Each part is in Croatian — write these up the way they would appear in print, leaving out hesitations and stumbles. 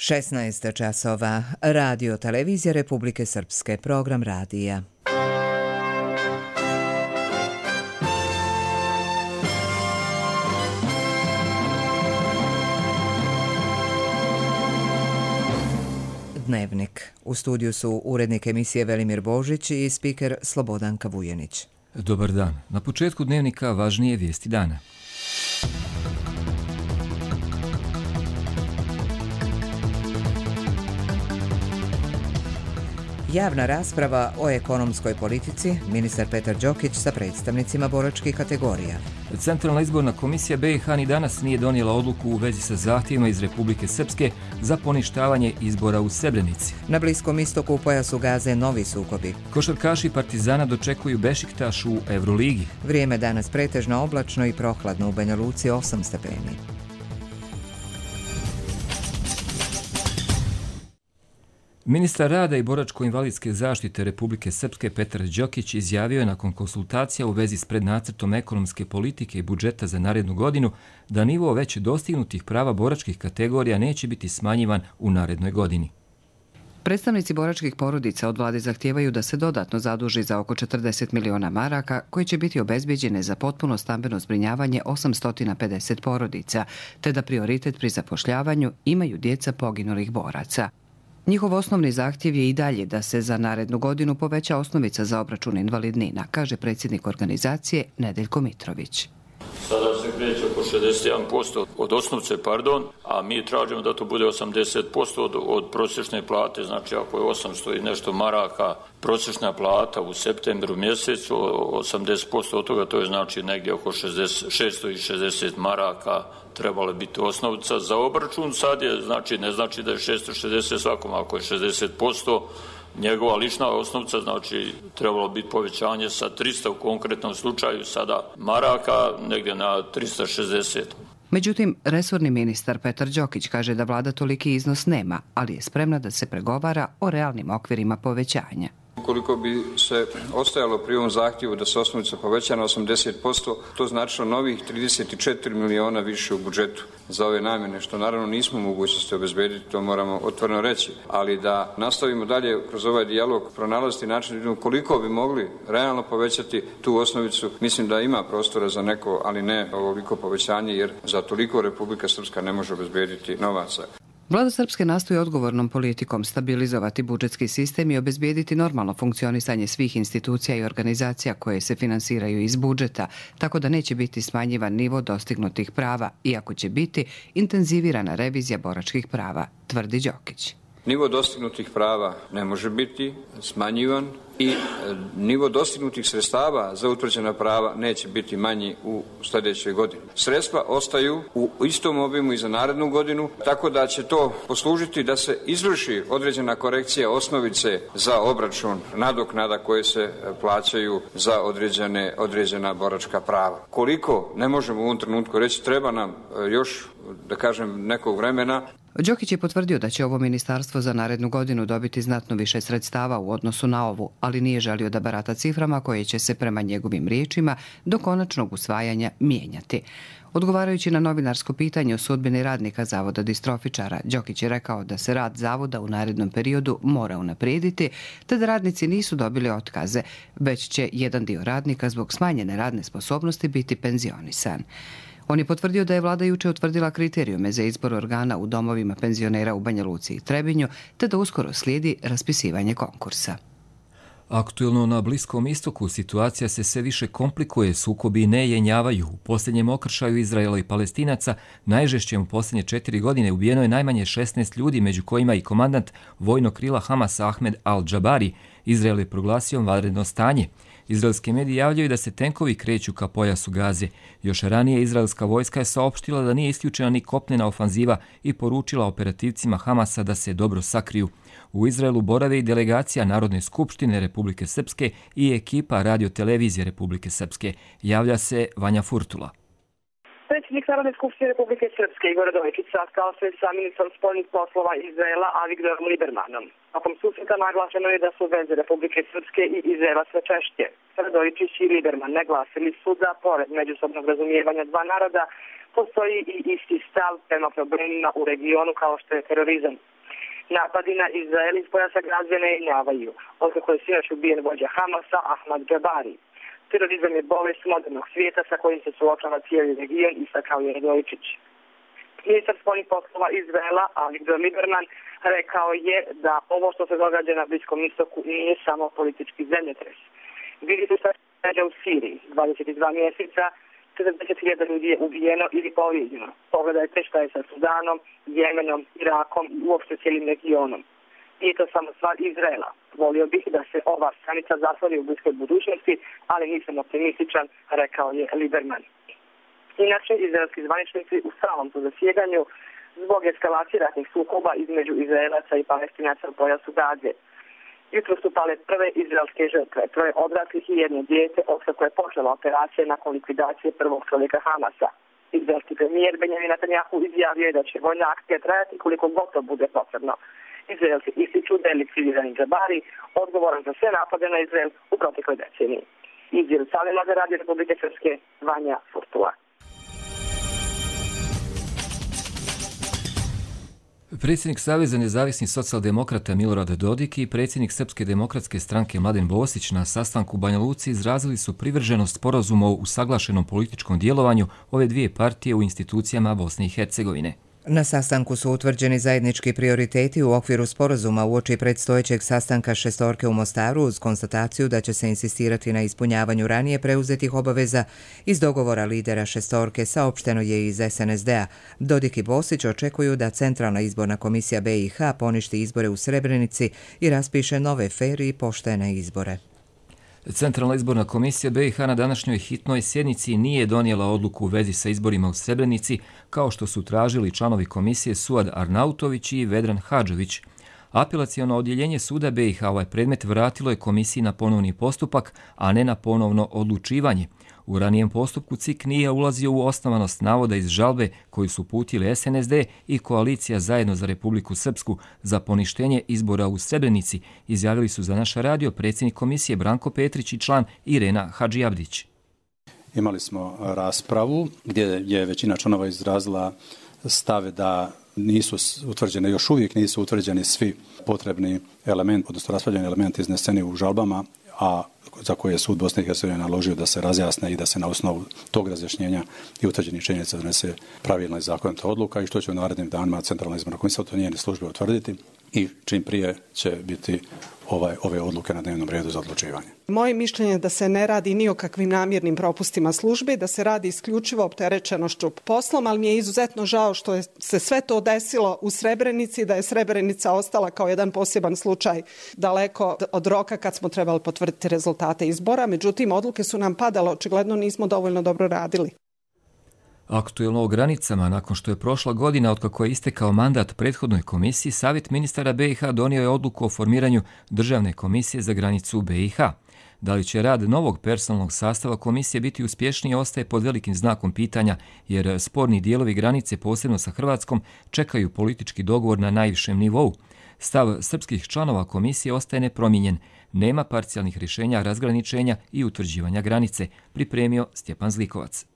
16 časova. Radio Televizija Republike Srpske. Program radija. Dnevnik. U studiju su urednik emisije Velimir Božić i spiker Slobodanka Vujenić. Dobar dan. Na početku dnevnika važnije vijesti dana. Javna rasprava o ekonomskoj politici, ministar Petar Đokić sa predstavnicima boračkih kategorija. Centralna izborna komisija BiH ni danas nije donijela odluku u vezi sa zahtjevima iz Republike Srpske za poništavanje izbora u Srebrenici. Na Bliskom istoku u pojasu Gaze novi sukobi. Košarkaši Partizana dočekuju Bešiktaš u Euroligi. Vrijeme danas pretežno oblačno i prohladno, u Banja Luci 8 stepeni. Ministar rada i boračko-invalidske zaštite Republike Srpske Petar Đokić izjavio je nakon konsultacija u vezi s prednacrtom ekonomske politike i budžeta za narednu godinu da nivo već dostignutih prava boračkih kategorija neće biti smanjivan u narednoj godini. Predstavnici boračkih porodica od vlade zahtijevaju da se dodatno zaduži za oko 40 miliona maraka koje će biti obezbeđene za potpuno stambeno zbrinjavanje 850 porodica, te da prioritet pri zapošljavanju imaju djeca poginulih boraca. Njihov osnovni zahtjev je i dalje da se za narednu godinu poveća osnovica za obračun invalidnina, kaže predsjednik organizacije Nedeljko Mitrović. Sada se kreće oko 61% od osnovce, a mi tražimo da to bude 80% od prosječne plate. Znači ako je 800 i nešto maraka prosječna plata u septembru mjesecu, 80% od toga, to je znači negdje oko 660 maraka trebala biti osnovica za obračun. Sad je, znači, ne znači da je 660 svakom, ako je 60%, njegova lična osnovica, znači trebalo biti povećanje sa 300 u konkretnom slučaju sada maraka negdje na 360. Međutim, resorni ministar Petar Đokić kaže da vlada toliki iznos nema, ali je spremna da se pregovara o realnim okvirima povećanja. Ukoliko bi se ostajalo pri ovom zahtjevu da se osnovica poveća na 80%, to značilo novih 34 miliona više u budžetu za ove namjene, što naravno nismo u mogućnosti obezbediti, to moramo otvoreno reći. Ali da nastavimo dalje kroz ovaj dijalog, pronalaziti način da vidimo koliko bi mogli realno povećati tu osnovicu. Mislim da ima prostora za neko, ali ne ovoliko povećanje, jer za toliko Republika Srpska ne može obezbediti novaca. Vlada Srpske nastoji odgovornom politikom stabilizovati budžetski sistem i obezbijediti normalno funkcionisanje svih institucija i organizacija koje se finansiraju iz budžeta, tako da neće biti smanjivan nivo dostignutih prava, iako će biti intenzivirana revizija boračkih prava, tvrdi Đokić. Nivo dostignutih prava ne može biti smanjivan i nivo dostignutih sredstava za utvrđena prava neće biti manji u sljedećoj godini. Sredstva ostaju u istom obimu i za narednu godinu, tako da će to poslužiti da se izvrši određena korekcija osnovice za obračun nadoknada koje se plaćaju za određena boračka prava. Koliko, ne možemo u ovom trenutku reći, treba nam još, da kažem, nekog vremena. Đokić je potvrdio da će ovo ministarstvo za narednu godinu dobiti znatno više sredstava u odnosu na ovu, ali nije želio da barata ciframa koje će se prema njegovim riječima do konačnog usvajanja mijenjati. Odgovarajući na novinarsko pitanje o sudbini radnika Zavoda distrofičara, Đokić je rekao da se rad zavoda u narednom periodu mora unaprijediti, te da radnici nisu dobili otkaze, već će jedan dio radnika zbog smanjene radne sposobnosti biti penzionisan. On je potvrdio da je vlada juče utvrdila kriterijume za izbor organa u domovima penzionera u Banja Luci i Trebinju, te da uskoro slijedi raspisivanje konkursa. Aktuelno na Bliskom istoku situacija se sve više komplikuje, sukobi ne jenjavaju. U posljednjem okršaju Izraela i Palestinaca, najžešćem u posljednje 4 godine, ubijeno je najmanje 16 ljudi, među kojima i komandant vojnog krila Hamasa Ahmed al-Džabari. Izrael je proglasio vanredno stanje. Izraelske medije javljaju da se tenkovi kreću ka pojasu Gaze. Još ranije izraelska vojska je saopštila da nije isključena ni kopnena ofanziva i poručila operativcima Hamasa da se dobro sakriju. U Izraelu borave i delegacija Narodne skupštine Republike Srpske i ekipa Radio Televizije Republike Srpske. Javlja se Vanja Furtula. Predsjednik Narodne skupštine Republike Srpske Igor Radojičić sastao se sa ministrom spoljnih poslova Izraela Avigdorom Libermanom. Tokom susreta naglašeno je da su veze Republike Srpske i Izraela sve češće. Radojičić i Liberman naglasili su da pored međusobnog razumijevanja dva naroda postoji i isti stav prema problemima u regionu kao što je terorizam. Napadi na Izrael iz pojasa Gaze ne jenjavaju, otkako je sinoć ubijen vođa Hamasa Ahmad Jabari. Terorizam je bolest modernog svijeta sa kojim se suočava cijeli region, istakao je Radojčić. Ministar spoljnih poslova Izraela Avigdor Lieberman rekao je da ovo što se događa na Bliskom istoku nije samo politički zemljotres. Vidite šta se događa u Siriji. 22 mjeseca 40.000 ljudi je ubijeno ili povrijeđeno. Pogledajte šta je sa Sudanom, Jemenom, Irakom i uopšte cijelim regionom. Nije to samo stvar Izraela. Volio bih da se ova stranica zatvori u bliskoj budućnosti, ali nisam optimističan, rekao je Lieberman. Inače, izraelski zvaničnici u stalnom su zasjedanju zbog eskalacije ratnih sukoba između Izraelaca i Palestinaca u pojasu Gaze. Jutro su pale prve izraelske žrtve, 3 odraslih i 1 dijete, otkako je počela operacija nakon likvidacije prvog čovjeka Hamasa. Izraelski premijer Benjamin Netanjahu izjavio je da će vojna akcija trajati koliko god to bude potrebno. Izraelci ističu da je likvidirani Jabari odgovoran za sve napade na Izrael u protekloj deceniji. Iz Jerusalima za Radio Republike Srpske, Vanja Furtula. Predsjednik Saveza nezavisnih socijaldemokrata Milorad Dodik i predsjednik Srpske demokratske stranke Mladen Bosić na sastanku u Banja Luci izrazili su privrženost sporazuma o usaglašenom političkom djelovanju ove dvije partije u institucijama Bosne i Hercegovine. Na sastanku su utvrđeni zajednički prioriteti u okviru sporazuma uoči predstojećeg sastanka šestorke u Mostaru uz konstataciju da će se insistirati na ispunjavanju ranije preuzetih obaveza iz dogovora lidera šestorke, saopšteno je iz SNSD-a. Dodik i Bosić očekuju da Centralna izborna komisija BiH poništi izbore u Srebrenici i raspiše nove fer i poštene izbore. Centralna izborna komisija BiH na današnjoj hitnoj sjednici nije donijela odluku u vezi sa izborima u Srebrenici, kao što su tražili članovi komisije Suad Arnautović i Vedran Hadžović. Apelaciono odjeljenje suda BiH ovaj predmet vratilo je komisiji na ponovni postupak, a ne na ponovno odlučivanje. U ranijem postupku CIK nije ulazio u osnovanost navoda iz žalbe koju su uputili SNSD i Koalicija Zajedno za Republiku Srpsku za poništenje izbora u Srebrenici, izjavili su za naš radio predsjednik komisije Branko Petrić i član Irena Hadžiabdić. Imali smo raspravu gdje je većina članova izrazila stave da nisu utvrđene, još uvijek nisu utvrđeni svi potrebni elementi, odnosno raspravljeni elementi izneseni u žalbama, a za koje je sud Bosne i Hercegovine naložio da se razjasne i da se na osnovu tog razjašnjenja i utvrđenih činjenica donese pravilna i zakonita odluka i što će u narednim danima Centralna izborna komisija to njene službe utvrditi i čim prije će biti ove odluke na dnevnom redu za odlučivanje. Moje mišljenje je da se ne radi ni o kakvim namjernim propustima službi, da se radi isključivo opterećenošću poslom, ali mi je izuzetno žao što je se sve to desilo u Srebrenici, da je Srebrenica ostala kao jedan poseban slučaj daleko od roka kad smo trebali potvrditi rezultate izbora. Međutim, odluke su nam padale, očigledno nismo dovoljno dobro radili. Aktuelno o granicama, nakon što je prošla godina otkako je istekao mandat prethodnoj komisiji, Savjet ministara BiH donio je odluku o formiranju Državne komisije za granicu BiH. Da li će rad novog personalnog sastava komisije biti uspješniji ostaje pod velikim znakom pitanja, jer sporni dijelovi granice, posebno sa Hrvatskom, čekaju politički dogovor na najvišem nivou. Stav srpskih članova komisije ostaje nepromijenjen. Nema parcijalnih rješenja razgraničenja i utvrđivanja granice, pripremio Stjepan Zlikovac.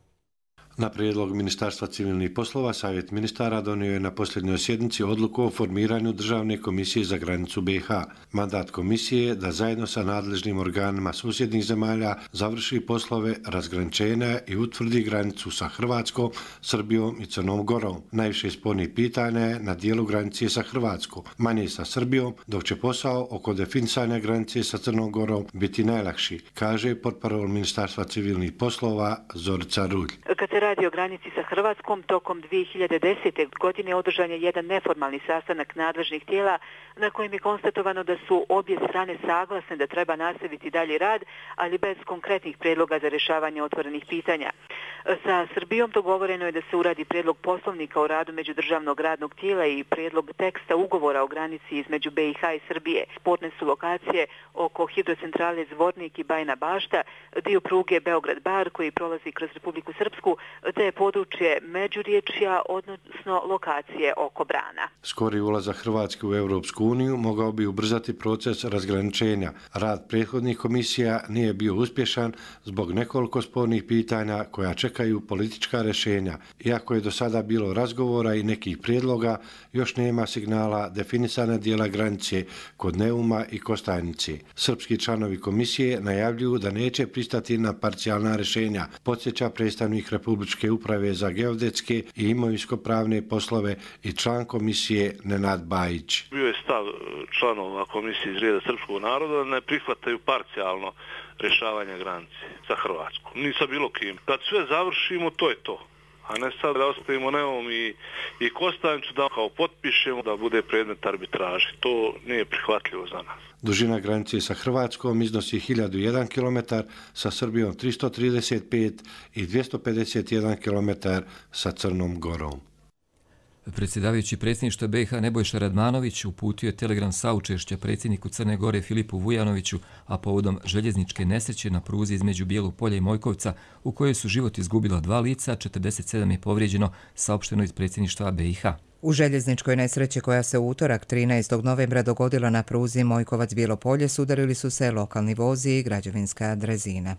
Na prijedlog Ministarstva civilnih poslova, Savjet ministara donio je na posljednjoj sjednici odluku o formiranju Državne komisije za granicu BiH. Mandat komisije je da zajedno sa nadležnim organima susjednih zemalja završi poslove razgraničenja i utvrdi granicu sa Hrvatskom, Srbijom i Crnom Gorom. Najviše spornih pitanja je na dijelu granice sa Hrvatskom, manje sa Srbijom, dok će posao oko definisanja granice sa Crnom Gorom biti najlakši, kaže portparol Ministarstva civilnih poslova Zorica Rulj. Kad se radi o granici sa Hrvatskom, tokom 2010. godine održan je jedan neformalni sastanak nadležnih tijela na kojem je konstatovano da su obje strane saglasne da treba nastaviti dalje rad, ali bez konkretnih predloga za rješavanje otvorenih pitanja. Sa Srbijom dogovoreno je da se uradi predlog poslovnika o radu međudržavnog radnog tijela i predlog teksta ugovora o granici između BiH i Srbije. Sporne su lokacije oko hidrocentrale Zvornik i Bajina Bašta, dio pruge Beograd-Bar koji prolazi kroz Republiku Srpsku, te je područje Međuriječja, odnosno lokacije oko Brana. Skori ulazak Hrvatske u Europsku uniju mogao bi ubrzati proces razgraničenja. Rad prethodnih komisija nije bio uspješan zbog nekoliko spornih pitanja koja čekaju čekaju politička rješenja. Iako je do sada bilo razgovora i nekih prijedloga, još nema signala definisana dijela granice kod Neuma i Kostajnice. Srpski članovi komisije najavljuju da neće pristati na parcijalna rješenja, podsjeća predstavnik Republičke uprave za geodetske i imovinsko-pravne poslove i član komisije Nenad Bajić. Bio je stav članova komisije iz reda srpskog naroda da ne prihvataju parcijalno rješavanje granice sa Hrvatskom. Ni sa bilo kim. Kad sve završimo, to je to. A ne sad da ostavimo Neum i Kostajnicu da kao potpišemo da bude predmet arbitraže. To nije prihvatljivo za nas. Dužina granice sa Hrvatskom iznosi 1001 km, sa Srbijom 335 i 251 km sa Crnom Gorom. Predsjedavajući predsjedništva BiH Nebojša Radmanović uputio je telegram saučešća predsjedniku Crne Gore Filipu Vujanoviću, a povodom željezničke nesreće na pruzi između Bijelog polja i Mojkovca, u kojoj su život izgubila 2 lica, 47 je povrijeđeno, saopšteno iz predsjedništva BiH. U željezničkoj nesreći koja se u utorak 13. novembra dogodila na pruzi Mojkovac-Bijelo polje sudarili su se lokalni vozi i građevinska drezina.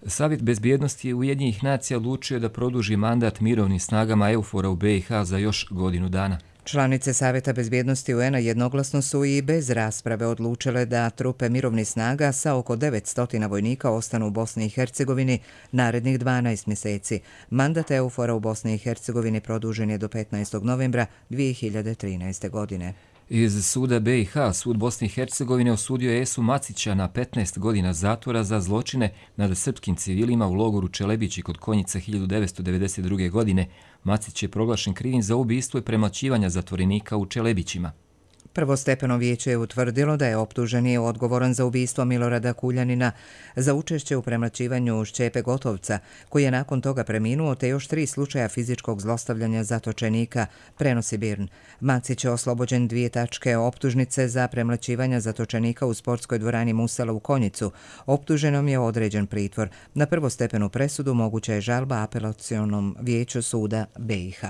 Savjet bezbjednosti Ujedinjenih nacija odlučio da produži mandat mirovnim snagama EUFOR-a u BiH za još godinu dana. Članice Savjeta bezbjednosti UN-a jednoglasno su i bez rasprave odlučile da trupe mirovnih snaga sa oko 900 vojnika ostanu u Bosni i Hercegovini narednih 12 mjeseci. Mandat EUFOR-a u Bosni i Hercegovini produžen je do 15. novembra 2013. godine. Iz suda BiH, sud Bosne i Hercegovine osudio je Esu Macića na 15 godina zatvora za zločine nad srpskim civilima u logoru Čelebići kod Konjica 1992. godine. Macić je proglašen krivim za ubistvo i premlaćivanja zatvorenika u Čelebićima. Prvostepeno vijeće je utvrdilo da je optuženi odgovoran za ubistvo Milorada Kuljanina, za učešće u premlaćivanju Šćepe Gotovca, koji je nakon toga preminuo, te još 3 slučaja fizičkog zlostavljanja zatočenika, prenosi BIRN. Macić je oslobođen 2 tačke optužnice za premlaćivanja zatočenika u sportskoj dvorani Musala u Konjicu. Optuženom je određen pritvor. Na prvostepenu presudu moguća je žalba apelacionom vijeću suda BiH.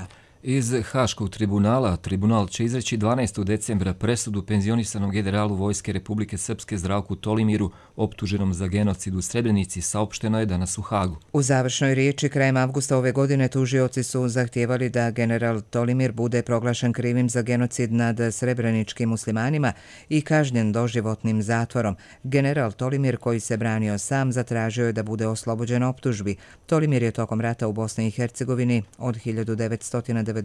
Iz Haškog tribunala, tribunal će izreći 12. decembra presudu penzionisanom generalu Vojske Republike Srpske Zdravku Tolimiru, optuženom za genocid u Srebrenici, saopšteno je danas u Hagu. U završnoj riječi krajem avgusta ove godine tužioci su zahtijevali da general Tolimir bude proglašen krivim za genocid nad srebreničkim muslimanima i kažnjen doživotnim zatvorom. General Tolimir, koji se branio sam, zatražio je da bude oslobođen optužbi. Tolimir je tokom rata u Bosni i Hercegovini od 1992.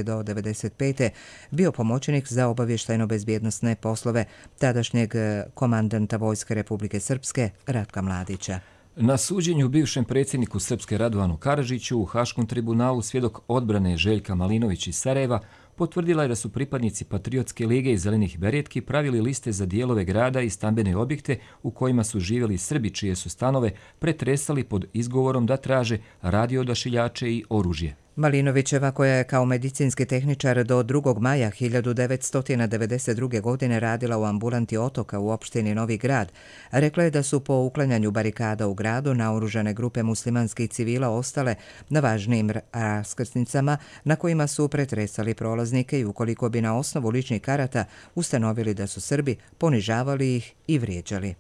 do 1995. bio pomoćnik za obavještajno-bezbjednosne poslove tadašnjeg komandanta Vojske Republike Srpske Ratka Mladića. Na suđenju bivšem predsjedniku Srpske Radovanu Karadžiću u Haškom tribunalu svjedok odbrane Željka Malinović iz Sarajeva potvrdila je da su pripadnici Patriotske lige i Zelenih beretki pravili liste za dijelove grada i stambene objekte u kojima su živjeli Srbi čije su stanove pretresali pod izgovorom da traže radioodašiljače i oružje. Malinovićeva, koja je kao medicinski tehničar do 2. maja 1992. godine radila u ambulanti Otoka u opštini Novi Grad, rekla je da su po uklanjanju barikada u gradu naoružane grupe muslimanskih civila ostale na važnijim raskrsnicama na kojima su pretresali prolaznike i ukoliko bi na osnovu ličnih karata ustanovili da su Srbi, ponižavali ih i vrijeđali.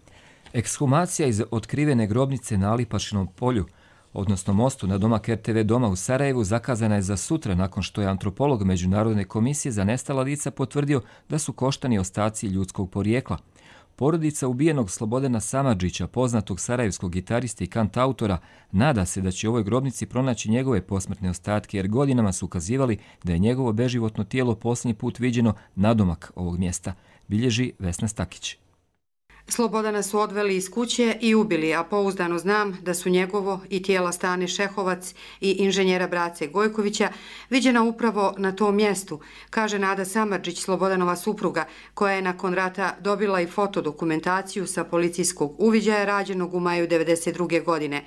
Ekshumacija iz otkrivene grobnice na Alipašinom polju, odnosno mostu na domak RTV doma u Sarajevu, zakazana je za sutra nakon što je antropolog Međunarodne komisije za nestala lica potvrdio da su koštani ostaci ljudskog porijekla. Porodica ubijenog Slobodana Samardžića, poznatog sarajevskog gitariste i kantautora, nada se da će u ovoj grobnici pronaći njegove posmrtne ostatke, jer godinama su ukazivali da je njegovo beživotno tijelo posljednji put viđeno nadomak ovog mjesta, bilježi Vesna Stakić. Slobodana su odveli iz kuće i ubili, a pouzdano znam da su njegovo i tijela Stane Šehovac i inženjera Brace Gojkovića viđena upravo na tom mjestu, kaže Nada Samardžić, Slobodanova supruga, koja je nakon rata dobila i fotodokumentaciju sa policijskog uviđaja rađenog u maju 1992. godine.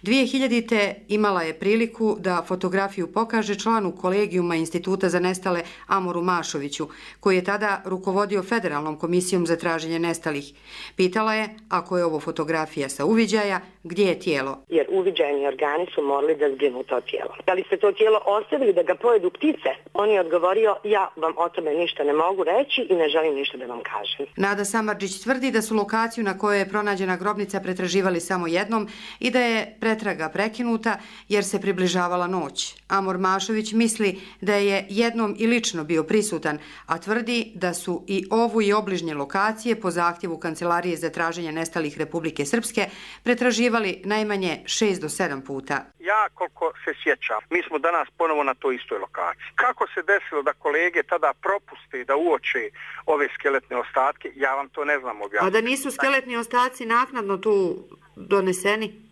2000. imala je priliku da fotografiju pokaže članu kolegijuma Instituta za nestale Amoru Mašoviću, koji je tada rukovodio Federalnom komisijom za traženje nestalih. Pitala je, ako je ovo fotografija sa uviđaja, gdje je tijelo? Jer uviđajni organi su morali da zbrinu to tijelo. Da li ste to tijelo ostavili da ga pojedu ptice? On je odgovorio, ja vam o tome ništa ne mogu reći i ne želim ništa da vam kažem. Nada Samardžić tvrdi da su lokaciju na kojoj je pronađena grobnica pretraživali samo jednom i da je je pretraga prekinuta jer se približavala noć. Amor Mašović misli da je jednom i lično bio prisutan, a tvrdi da su i ovu i obližnje lokacije po zahtjevu Kancelarije za traženje nestalih Republike Srpske pretraživali najmanje 6 do 7 puta. Ja koliko se sjećam, mi smo danas ponovo na toj istoj lokaciji. Kako se desilo da kolege tada propuste da uoče ove skeletne ostatke, ja vam to ne znam objasniti. A da nisu skeletni ostaci naknadno tu doneseni?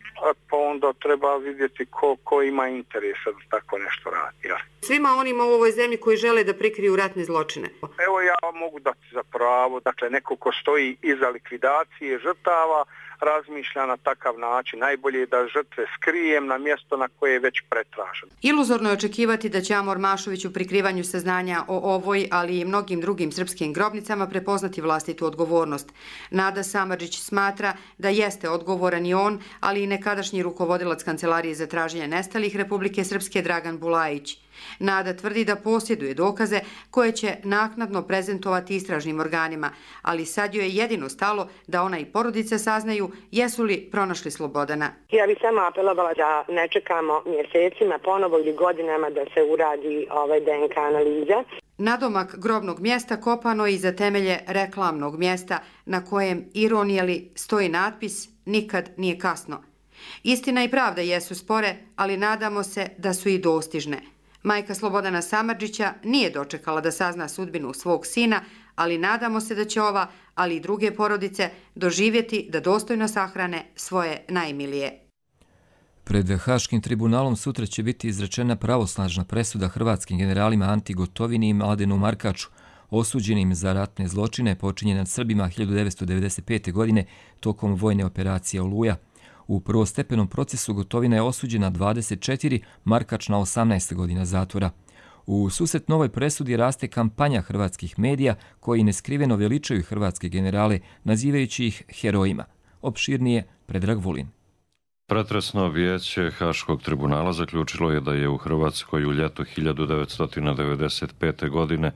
Pa onda treba vidjeti ko ima interesa da tako nešto radi. Ja. Svima onima u ovoj zemlji koji žele da prikriju ratne zločine. Evo ja vam mogu dati za pravo, dakle neko ko stoji iza likvidacije žrtava razmišlja na takav način. Najbolje je da žrtve skrijem na mjesto na koje je već pretraženo. Iluzorno je očekivati da će Amor Mašović u prikrivanju saznanja o ovoj, ali i mnogim drugim srpskim grobnicama prepoznati vlastitu odgovornost. Nada Samardžić smatra da jeste odgovoran i on, ali i nekadašnji rukovodilac Kancelarije za traženje nestalih Republike Srpske Dragan Bulajić. Nada tvrdi da posjeduje dokaze koje će naknadno prezentovati istražnim organima, ali sad joj je jedino stalo da ona i porodica saznaju jesu li pronašli Slobodana. Ja bih samo apelovala da ne čekamo mjesecima ponovo ili godinama da se uradi DNK analiza. Nadomak grobnog mjesta kopano je iza temelje reklamnog mjesta na kojem, ironijeli, stoji natpis "Nikad nije kasno". Istina i pravda jesu spore, ali nadamo se da su i dostižne. Majka Slobodana Samardžića nije dočekala da sazna sudbinu svog sina, ali nadamo se da će ova, ali i druge porodice, doživjeti da dostojno sahrane svoje najmilije. Pred Haškim tribunalom sutra će biti izrečena pravosnažna presuda hrvatskim generalima Anti Gotovini i Mladenu Markaču, osuđenim za ratne zločine počinjene nad Srbima 1995. godine tokom vojne operacije Oluja. U prvostepenom procesu Gotovina je osuđena 24, Markač na 18 godina zatvora. U susret novoj presudi raste kampanja hrvatskih medija koji neskriveno veličaju hrvatske generale, nazivajući ih herojima. Opširnije Predrag Vulin. Pretresno vijeće Haškog tribunala zaključilo je da je u Hrvatskoj u ljetu 1995. godine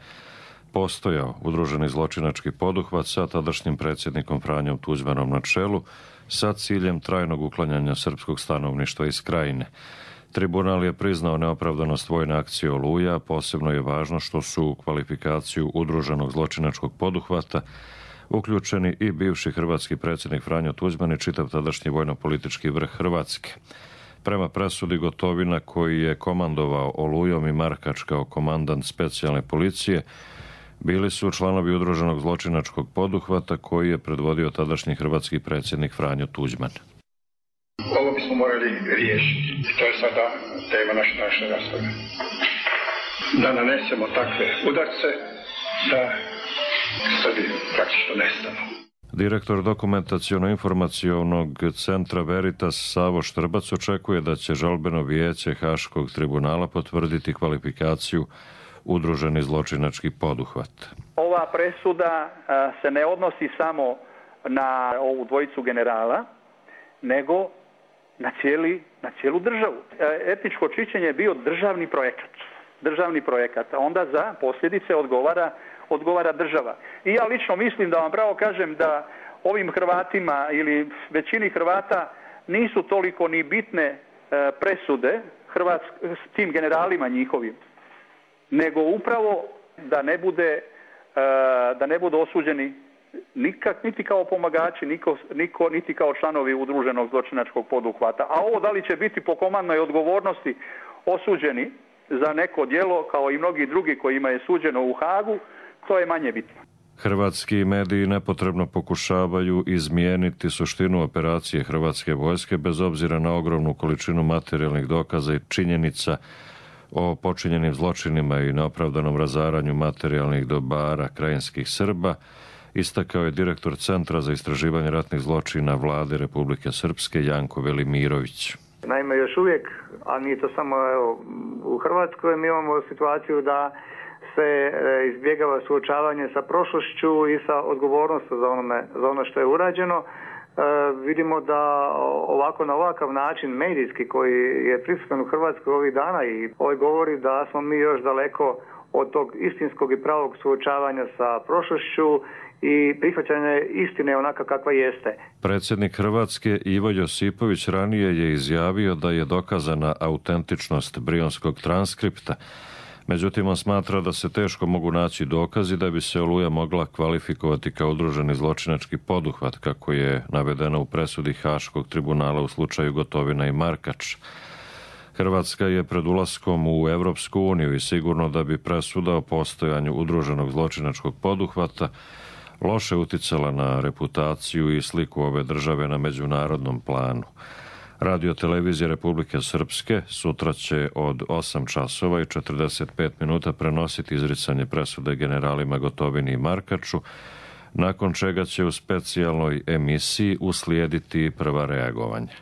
postojao udruženi zločinački poduhvat sa tadašnjim predsjednikom Franjom Tuđmanom na čelu, sa ciljem trajnog uklanjanja srpskog stanovništva iz Krajine. Tribunal je priznao neopravdanost vojne akcije Oluja, posebno je važno što su u kvalifikaciju udruženog zločinačkog poduhvata uključeni i bivši hrvatski predsjednik Franjo Tuđman i čitav tadašnji vojno-politički vrh Hrvatske. Prema presudi Gotovina, koji je komandovao Olujom, i Markač kao komandant specijalne policije, bili su članovi udruženog zločinačkog poduhvata koji je predvodio tadašnji hrvatski predsjednik Franjo Tuđman. Ovo bismo morali riješiti. To je sada tema naše rasprave. Da nanesemo takve udarce da Srbi praktično nestanu. Direktor dokumentaciono-informacionog centra Veritas Savo Štrbac očekuje da će žalbeno vijeće Haškog tribunala potvrditi kvalifikaciju udruženi zločinački poduhvat. Ova presuda se ne odnosi samo na ovu dvojicu generala, nego na cijelu državu. Etničko čišćenje je bio državni projekat, a onda za posljedice odgovara država. I ja lično mislim, da vam pravo kažem, da ovim Hrvatima ili većini Hrvata nisu toliko ni bitne presude s tim generalima njihovim, nego upravo da ne budu osuđeni niti kao pomagači, niti kao članovi udruženog zločinačkog poduhvata. A ovo da li će biti po komandnoj odgovornosti osuđeni za neko djelo, kao i mnogi drugi kojima je suđeno u Hagu, to je manje bitno. Hrvatski mediji nepotrebno pokušavaju izmijeniti suštinu operacije hrvatske vojske bez obzira na ogromnu količinu materijalnih dokaza i činjenica o počinjenim zločinima i neopravdanom razaranju materijalnih dobara krajinskih Srba, istakao je direktor Centra za istraživanje ratnih zločina Vlade Republike Srpske Janko Velimirović. Naime, još uvijek, a nije to samo u Hrvatskoj, mi imamo situaciju da se izbjegava suočavanje sa prošlošću i sa odgovornošću za ono što je urađeno. vidimo da ovako na ovakav način medijski koji je prisutan u Hrvatskoj ovih dana i govori da smo mi još daleko od tog istinskog i pravog suočavanja sa prošlošću i prihvaćanje istine onaka kakva jeste. Predsjednik Hrvatske Ivo Josipović ranije je izjavio da je dokazana autentičnost brionskog transkripta. Međutim, on smatra da se teško mogu naći dokazi da bi se Oluja mogla kvalifikovati kao udruženi zločinački poduhvat, kako je navedeno u presudi Haškog tribunala u slučaju Gotovina i Markač. Hrvatska je pred ulaskom u Europsku uniju i sigurno da bi presuda o postojanju udruženog zločinačkog poduhvata loše uticala na reputaciju i sliku ove države na međunarodnom planu. Radio televizija Republike Srpske sutra će od 8 časova i 45 minuta prenositi izricanje presude generalima Gotovini i Markaču, nakon čega će u specijalnoj emisiji uslijediti prva reagovanja.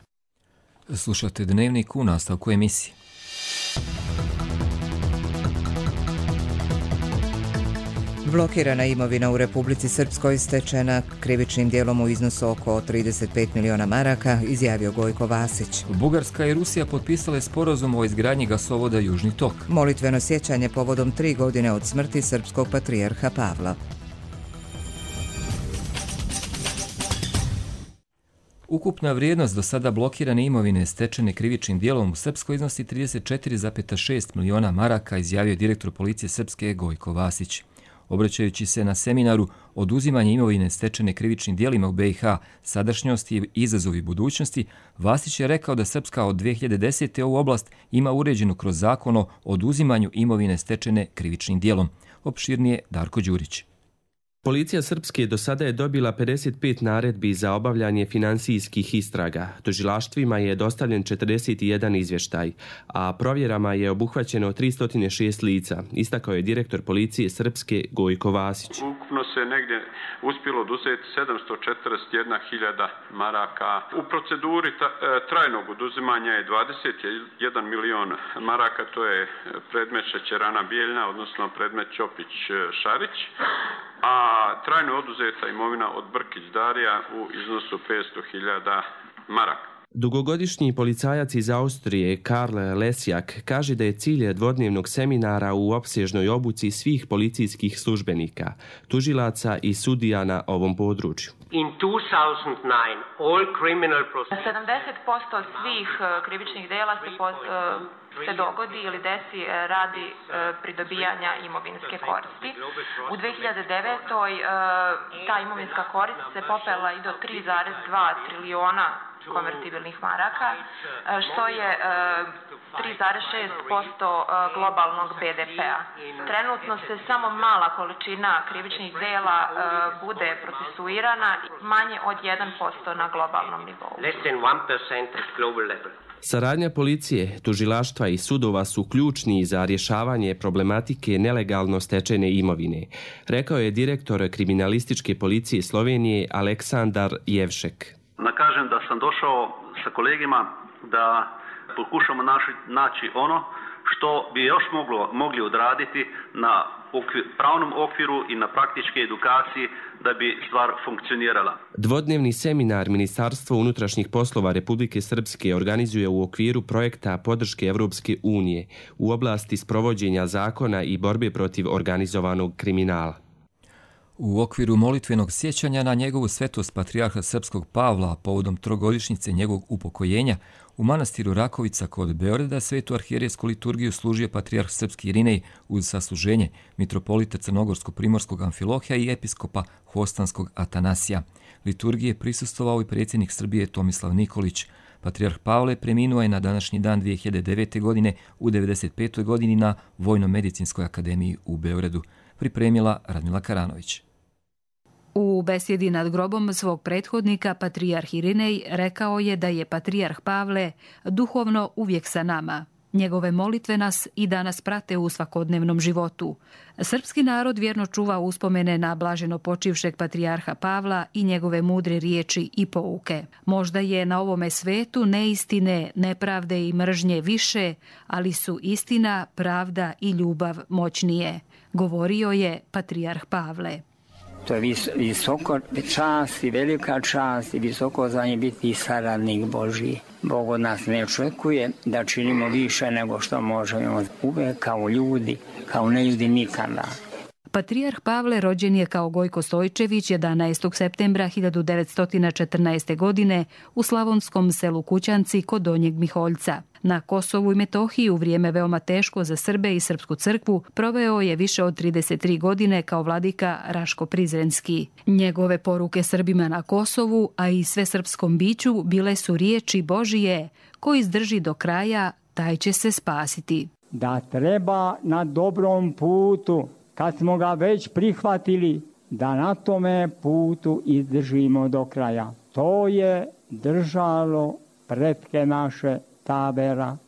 Slušate Dnevnik u nastavku emisije. Blokirana imovina u Republici Srpskoj stečena krivičnim djelom u iznosu oko 35 miliona maraka, izjavio Gojko Vasić. Bugarska i Rusija potpisale sporazum o izgradnji gasovoda Južni tok. Molitveno sjećanje povodom 3 godine od smrti srpskog patrijarha Pavla. Ukupna vrijednost do sada blokirane imovine stečene krivičnim djelom u Srpskoj iznosi 34,6 miliona maraka, izjavio direktor policije Srpske Gojko Vasić. Obraćajući se na seminaru Oduzimanje imovine stečene krivičnim djelima u BiH, sadašnjosti i izazovi budućnosti, Vasić je rekao da Srpska od 2010. ovu oblast ima uređenu kroz zakon o oduzimanju imovine stečene krivičnim djelom. Opširnije Darko Đurić. Policija Srpske do sada je dobila 55 naredbi za obavljanje finansijskih istraga. Tužilaštvima je dostavljen 41 izvještaj, a provjerama je obuhvaćeno 306 lica, istakao je direktor policije Srpske Gojko Vasić. Ukupno se negdje uspjelo oduzeti 741.000 maraka. U proceduri trajnog oduzimanja je 21 milion maraka, to je predmet Šećerana Bijeljna, odnosno predmet Ćopić-Šarić, a trajno oduzeta imovina od Brkić Darija u iznosu 500.000 maraka. Dugogodišnji policajac iz Austrije Karl Lesjak kaže da je cilj dvodnevnog seminara u opsežnoj obuci svih policijskih službenika, tužilaca i sudija na ovom području. In 2009, all criminal 70% svih krivičnih dela se dogodi ili desi radi pridobijanja imovinske koristi. U 2009. ta imovinska korist se popela i do 3,2 trilijona konvertibilnih maraka, što je 3,6% globalnog BDP-a. Trenutno se samo mala količina krivičnih dela bude procesuirana, manje od 1% na globalnom nivou. Less than 1% at global level. Saradnja policije, tužilaštva i sudova su ključni za rješavanje problematike nelegalno stečene imovine, rekao je direktor kriminalističke policije Slovenije Aleksandar Jevšek. Kažem da sam došao sa kolegima da pokušamo naći ono što bi još mogli odraditi na pravnom okviru i na praktičke edukaciji da bi stvar funkcionirala. Dvodnevni seminar Ministarstvo unutrašnjih poslova Republike Srpske organizuje u okviru projekta podrške Evropske unije u oblasti sprovođenja zakona i borbe protiv organizovanog kriminala. U okviru molitvenog sjećanja na njegovu svetost patrijarha srpskog Pavla povodom trogodišnjice njegovog upokojenja u manastiru Rakovica kod Beograda svetu arhijerejsku liturgiju služio patrijarh srpski Irinej uz sasluženje mitropolita Crnogorsko-primorskog Amfilohija i episkopa Hostanskog Atanasija. Liturgije prisustvovao i predsjednik Srbije Tomislav Nikolić. Patrijarh Pavle preminuo je na današnji dan 2009. godine u 95. godini na Vojno-medicinskoj akademiji u Beogradu. Pripremila Radmila Karanović. U besjedi nad grobom svog prethodnika, patrijarh Irinej rekao je da je patrijarh Pavle duhovno uvijek sa nama. Njegove molitve nas i danas prate u svakodnevnom životu. Srpski narod vjerno čuva uspomene na blaženo počivšeg patrijarha Pavla i njegove mudre riječi i pouke. Možda je na ovome svetu neistine, nepravde i mržnje više, ali su istina, pravda i ljubav moćnije, govorio je patrijarh Pavle. To je visoko čast i velika čast i visoko zvanje biti saradnik Božji. Bog od nas ne očekuje da činimo više nego što možemo. Uvek kao ljudi, kao neljudi nikada. Patrijarh Pavle rođen je kao Gojko Stojčević 11. septembra 1914. godine u slavonskom selu Kućanci kod Donjeg Miholjca. Na Kosovu i Metohiji u vrijeme veoma teško za Srbe i Srpsku crkvu proveo je više od 33 godine kao vladika Raško Prizrenski. Njegove poruke Srbima na Kosovu, a i sve srpskom biću, bile su riječi Božije: ko izdrži do kraja, taj će se spasiti. Da treba na dobrom putu, kad smo ga već prihvatili, da na tome putu izdržimo do kraja. To je držalo pretke naše,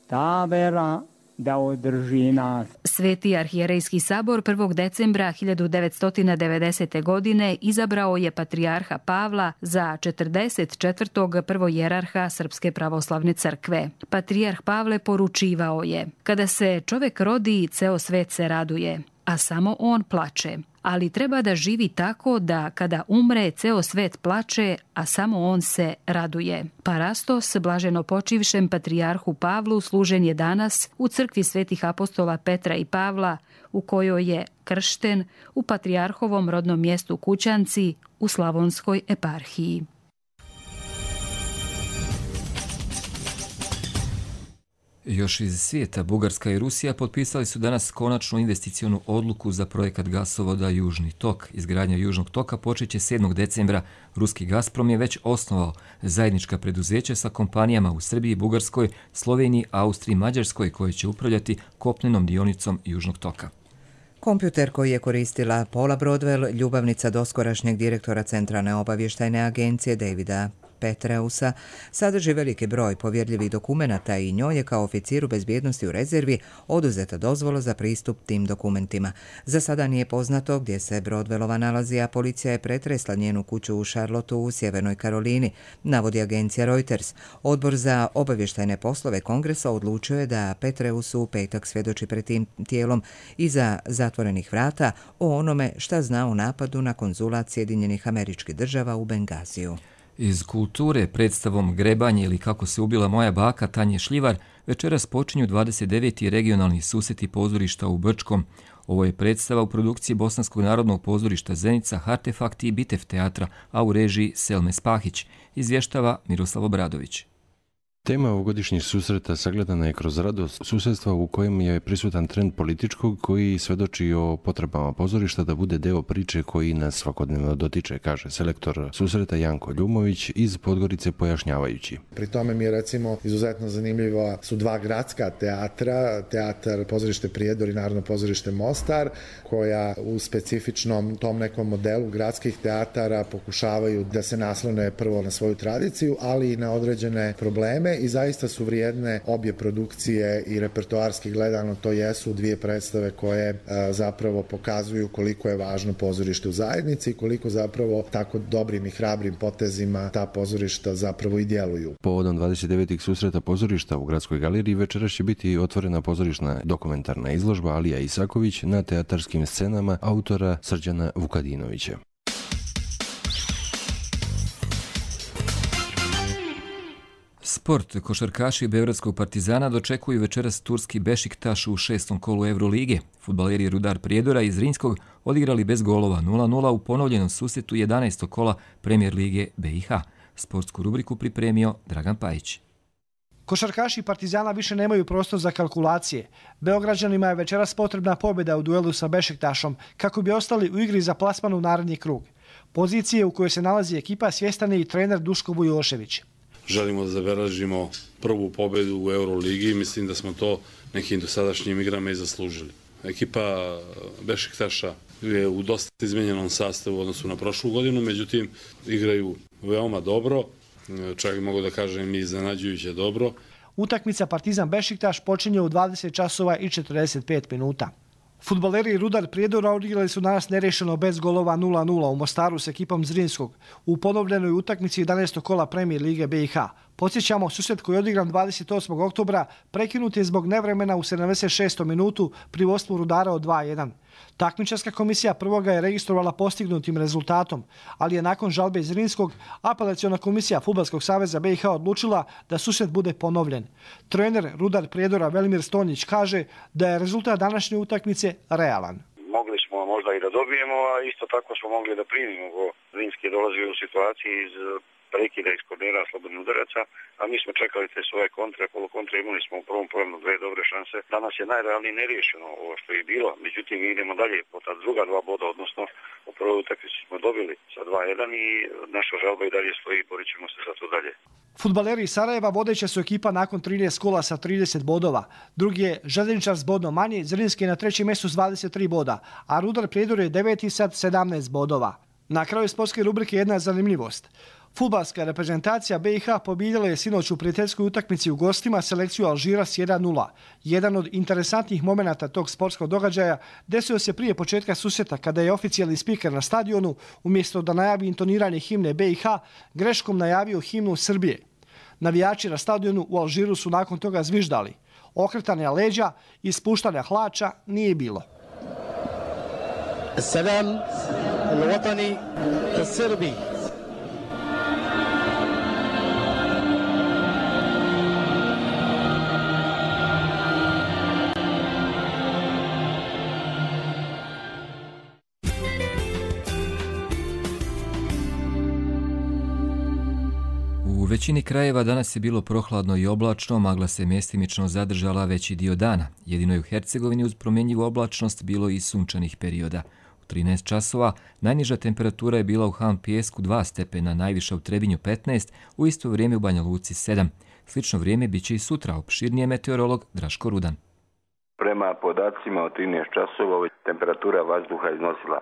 ta vera da održi nas. Sveti arhijerejski sabor 1. decembra 1990. godine izabrao je patrijarha Pavla za 44. prvojerarha Srpske pravoslavne crkve. Patrijarh Pavle poručivao je: kada se čovek rodi, ceo svet se raduje, a samo on plače. Ali treba da živi tako da kada umre, ceo svet plače, a samo on se raduje. Parastos, blaženo počivšem patrijarhu Pavlu, služen je danas u crkvi svetih apostola Petra i Pavla, u kojoj je kršten u patrijarhovom rodnom mjestu Kućanci u Slavonskoj eparhiji. Još iz svijeta, Bugarska i Rusija potpisali su danas konačnu investicionu odluku za projekat gasovoda Južni tok. Izgradnja Južnog toka počeće 7. decembra. Ruski Gazprom je već osnovao zajednička preduzeća sa kompanijama u Srbiji, Bugarskoj, Sloveniji, Austriji i Mađarskoj koje će upravljati kopnenom dionicom Južnog toka. Kompjuter koji je koristila Paula Broadwell, ljubavnica doskorašnjeg direktora Centralne obavještajne agencije Davida Petreusa, sadrži veliki broj povjerljivih dokumenata i njoj je kao oficiru bezbjednosti u rezervi oduzeta dozvola za pristup tim dokumentima. Za sada nije poznato gdje se Broadwellova nalazi, a policija je pretresla njenu kuću u Charlotteu u Sjevernoj Karolini, navodi agencija Reuters. Odbor za obavještajne poslove Kongresa odlučio je da Petreus u petak svjedoči pred tim tijelom iza zatvorenih vrata o onome šta zna o napadu na konzulat Sjedinjenih Američkih Država u Bengaziju. Iz kulture predstavom Grebanje ili kako se ubila moja baka Tanje Šljivar večeras počinju 29. regionalni susreti pozorišta u Brčkom. Ovo je predstava u produkciji Bosanskog narodnog pozorišta Zenica, Artefakti i Bitev teatra, a u režiji Selme Spahić, izvještava Miroslav Obradović. Tema ovogodišnjih susreta sagledana je kroz radost susjedstva u kojem je prisutan trend političkog koji svedoči o potrebama pozorišta da bude deo priče koji nas svakodnevno dotiče, kaže selektor susreta Janko Ljumović iz Podgorice pojašnjavajući. Pri tome mi je recimo izuzetno zanimljiva su dva gradska teatra, teatar pozorište Prijedor i Narodno pozorište Mostar, koja u specifičnom tom nekom modelu gradskih teatara pokušavaju da se naslone prvo na svoju tradiciju, ali i na određene probleme. I zaista su vrijedne obje produkcije i repertoarski gledano to jesu dvije predstave koje zapravo pokazuju koliko je važno pozorište u zajednici i koliko zapravo tako dobrim i hrabrim potezima ta pozorišta zapravo i djeluju. Povodom 29. susreta pozorišta u Gradskoj galeriji večeras će biti otvorena pozorišna dokumentarna izložba Alija Isaković na teatarskim scenama autora Srđana Vukadinovića. Sport. Košarkaši Beogradskog Partizana dočekuju večeras turski Bešiktaš u 6. kolu Eurolige. Fudbaleri Rudar Prijedora iz Zrinjskog odigrali bez golova 0-0 u ponovljenom susretu 11. kola Premijer lige BiH. Sportsku rubriku pripremio Dragan Pajić. Košarkaši Partizana više nemaju prostor za kalkulacije. Beograđanima je večeras potrebna pobjeda u duelu sa Bešiktašom kako bi ostali u igri za plasman u naredni krug. Pozicije u kojoj se nalazi ekipa svjestan je i trener Duško Vujošević. Želimo da zabeležimo prvu pobjedu u Euroligi. Mislim da smo to nekim dosadašnjim igrama i zaslužili. Ekipa Bešiktaša je u dosta izmenjenom sastavu u odnosu na prošlu godinu, međutim igraju veoma dobro, čak mogu da kažem i iznenađujuće dobro. Utakmica Partizan Bešiktaš počinje u 20 časova i 45 minuta. Fudbaleri Rudar Prijedora odigrali su danas nerešeno bez golova 0-0 u Mostaru s ekipom Zrinjskog u ponovljenoj utakmici 11. kola Premijer lige BiH. Podsjećamo, susret koji je odigran 28. oktobra prekinut je zbog nevremena u 76. minutu pri vodstvu Rudara od 2:1. Takmičarska komisija prvoga je registrovala postignutim rezultatom, ali je nakon žalbe iz Zrinskog apelaciona komisija Fudbalskog saveza BiH odlučila da susret bude ponovljen. Trener Rudar Prijedora Velimir Stonjić kaže da je rezultat današnje utakmice realan. Mogli smo možda i da dobijemo, a isto tako smo mogli da primimo. Zrinski je dolazio u situaciji iz prekida iz kornera slobodnih udaraca, a mi smo čekali te svoje kontre, polukontre, imali smo u prvom pojemnu 2 dobre šanse. Danas je najrealnije neriješeno ovo što je bilo, međutim idemo dalje po ta druga 2 boda, odnosno u prvoj utakmici smo dobili sa 2:1 i naša žalba i dalje stoji, borit ćemo se za to dalje. Fudbaleri iz Sarajeva vodeća su ekipa nakon 13 kola sa 30 bodova. Drugi je Željezničar s bodom manje, Zrinski je na 3. mjestu s 23 boda, a Rudar Prijedor je 9. sa 17 bodova. Na kraju sportske rubrike jedna zanimljivost. Fudbalska reprezentacija BiH pobijedila je sinoć u prijateljskoj utakmici u gostima selekciju Alžira s 1:0. Jedan od interesantnih momenata tog sportskog događaja desio se prije početka susreta kada je oficijalni spiker na stadionu, umjesto da najavi intoniranje himne BiH, greškom najavio himnu Srbije. Navijači na stadionu u Alžiru su nakon toga zviždali. Okretanja leđa i spuštanja hlača nije bilo. Salam al-Watani al-Srbi. U većini krajeva danas je bilo prohladno i oblačno, magla se mjestimično zadržala veći dio dana. Jedino je u Hercegovini uz promjenjivu oblačnost bilo i sunčanih perioda. U 13 časova najniža temperatura je bila u Han Pijesku 2 stepena, najviša u Trebinju 15, u isto vrijeme u Banja Luci 7. Slično vrijeme bit će i sutra, opširnije meteorolog Draško Rudan. Prema podacima od 13 časova temperatura vazduha iznosila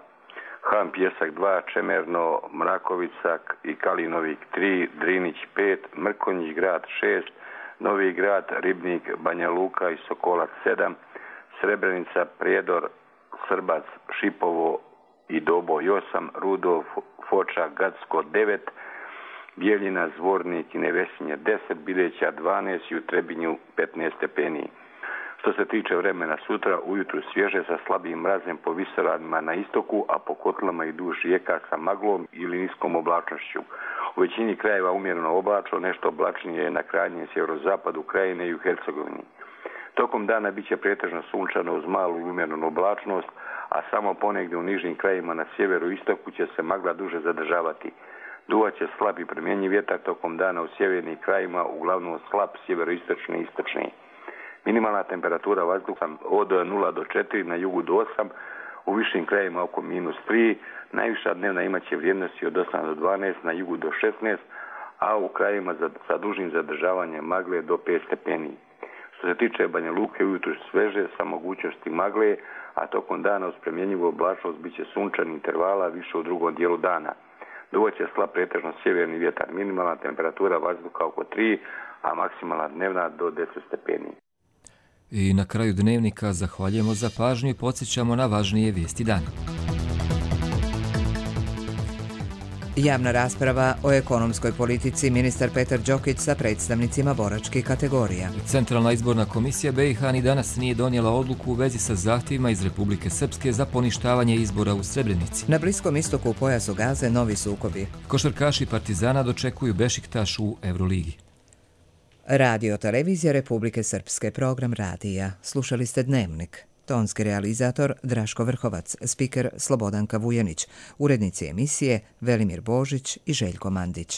Han Pijesak 2, Čemerno, Mrakovica i Kalinovik 3, Drinić 5, Mrkonjić grad 6, Novi grad, Ribnik, Banja Luka i Sokolac 7, Srebrenica, Prijedor, Srbac, Šipovo i Doboj 8, Rudov, Foča, Gacko 9, Bijeljina, Zvornik i Nevesinje 10, Bileća 12 i u Trebinju 15 stepeni. Što se tiče vremena sutra, ujutru svježe sa slabim mrazem po visoravnima na istoku, a po kotlama i duž rijeka sa maglom ili niskom oblačnošću. U većini krajeva umjereno oblačno, nešto oblačnije je na krajnjem sjeverozapadu krajine i u Hercegovini. Tokom dana bit će pretežno sunčano uz malu i umjerenu oblačnost, a samo ponegdje u nižim krajima na sjeveru i istoku će se magla duže zadržavati. Duvaće slab i promjenjiv vjetar tokom dana u sjevernim krajima, uglavnom slab sjeveroistočni i istočni. Minimalna temperatura vazduha od 0 do 4, na jugu do 8, u višim krajima oko -3, najviša dnevna imaće vrijednosti od 8 do 12, na jugu do 16, a u krajima sa dužim zadržavanjem magle do 5 stepeni. Što se tiče Banja Luke, ujutru sveže sa mogućnosti magle, a tokom dana uz promjenjivu oblačnost bit će sunčani intervala više u drugom dijelu dana. Duvaće slab pretežno sjeverni vjetar, minimalna temperatura vazduha oko 3, a maksimalna dnevna do 10 stepeni. I na kraju dnevnika zahvaljujemo za pažnju i podsjećamo na važnije vijesti dana. Javna rasprava o ekonomskoj politici, ministar Petar Đokić sa predstavnicima boračkih kategorija. Centralna izborna komisija BiH ni danas nije donijela odluku u vezi sa zahtjevima iz Republike Srpske za poništavanje izbora u Srebrenici. Na Bliskom istoku u pojasu Gaze novi sukobi. Košarkaši Partizana dočekuju Bešiktaš u Euroligi. Radio televizija Republike Srpske, program radija. Slušali ste Dnevnik. Tonski realizator Draško Vrhovac, spiker Slobodanka Vujanić, urednici emisije Velimir Božić i Željko Mandić.